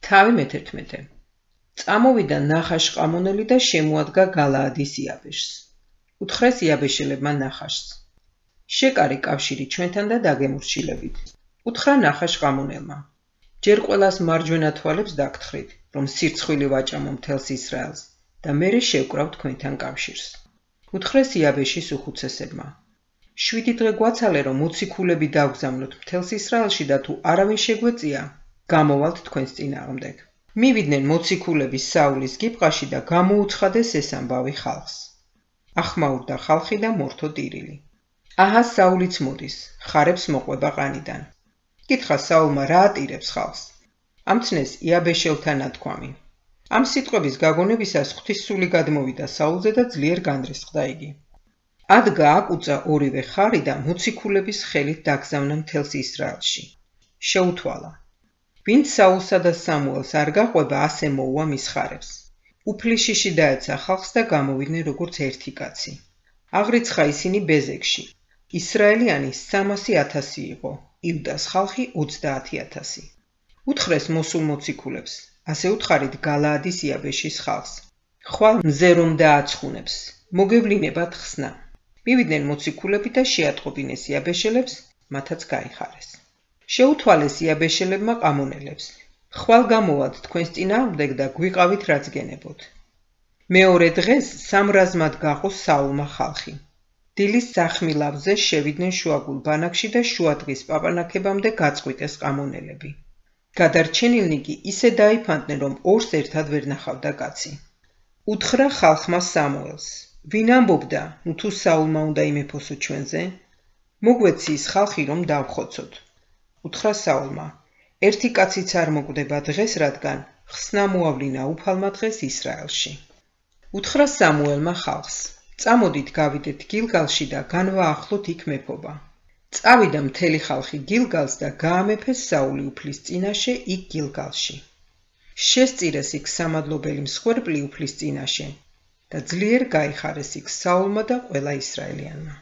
თავი მე-11. წამოვიდა ნახაშ-ყამონელი და შემოადგა გალაადის იაბეშს. უთხრეს იაბეშელებმა ნახაშს: შეკარე კავშირი ჩვენთან და დაგემორჩილებით. უთხრა ნახაშ-ყამონელმა: ჯერ ყველას მარჯვენა თვალებს დაგთხრით, რომ სირცხვილი ვაჭამო მთელს ისრაელს და მერე შევკრავ თქვენთან კავშირს. უთხრეს იაბეშის უხუცესებმა: 7 დღე გვაცალე, რომ მოციქულები დავგზავნოთ მთელს ისრაელში და თუ არავინ შეგვეწია, გამოვალთ თქვენს წინააღმდეგ. მივიდნენ მოციქულები საულის გიბყაში და გამოუცხადეს ეს ამბავი ხალხს. ახმაურდა ხალხი და მორთო ტირილი. აჰა საულიც მოდის, ხარებს მოყვება ყანიდან. კითხა საულმა რა ატირებს ხალხს. ამცნეს იაბეშელთან ნათქვამი. ამ სიტყვების გაგონებისას ღვთისმსული გადმოვიდა საულზე და ძლიერ განრისხდა იგი. ადგა აკუწა ორივე ხარი და მოციქულების ხელით დაგზავნა მთელს ისრაელში. შეუთვალა: ვინც საულსა და სამუელს არ გაყვება, ასე მოუვა მის ხარებს. უფლიშიში დაეცა ხალხს და გამოვიდნენ როგორც ერთი კაცი. აღრიცხა ისინი ბეზეკში. ისრაელიანი 300,000 იყო, იუდას ხალხი 30,000. უთხრეს მოსულ მოციქულებს: ასე უთხარით გალაადის იაბეშის ხალხს. ხვალ მზე რომ დააცხუნებს, მოგევლინებათ ხსნა. მივიდნენ მოციქულები და შეატყობინეს იაბეშელებს, მათაც გაიხარეს. შეუთვალეს იაბეშელებმა ყამონელებს: ხვალ გამოვალთ თქვენს წინააღმდეგ და გვიყავით რაც გენებოთ. მეორე დღეს სამრაზმად გაყო საულმა ხალხი. დილის სახმილავზე შევიდნენ შუაგულ ბანაკში და შუადღის პაპანაკებამდე გაწყვიტეს ყამონელები. გადარჩენილნი კი ისე დაიფანტნენ, რომ ორს ერთად ვერ ნახავდა კაცი. უთხრა ხალხმა სამუელს: ვინ ამბობდა, ნუ თუ საულმა უნდა იმეფოსო ჩვენზე? მოგვეციის ხალხი, რომ დავხოცოთ. უთხრა საულმა: ერთი კაციც არ მოკვდება დღეს, რადგან ხსნა მოავლინა უფალმა დღეს ისრაელში. უთხრა სამუელმა ხალხს: წამოდით გავიდეთ გილგალში და განვაახლოთ იქ მეფობა. წავიდა მთელი ხალხი გილგალს და გაამეფეს საული უფლის წინაშე იქ გილგალში. შესწირეს იქ სამადლობელი მსხვერპლი უფლის წინაშე და ძლიერ გაიხარეს იქ საულმა და ყველა ისრაელიანმა.